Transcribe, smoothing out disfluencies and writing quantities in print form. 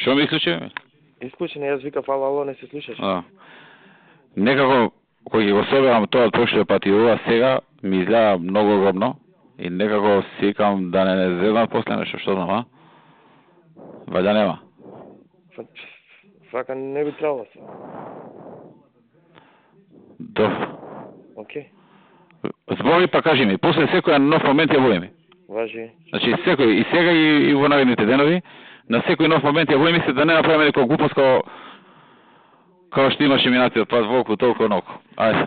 Што ми исклучи? Исклучен, јас викав ало, не се слушаш. Некако, кој го соберам тоа од прошлиот пат и ова сега, ми изгледа многу удобно и некако си викам да не зедам после нешто, што знам, Вајда нема. Фака не би требало се. Добро. Окей. Збори па кажи ми, после секој нов момент ја води ми. Важи. Значи секој и сега и во наредните денови, на секој нов момент ја води ми се да не направиме некој глупост како што имаше минатиот пат волку толку ноко. Ајде.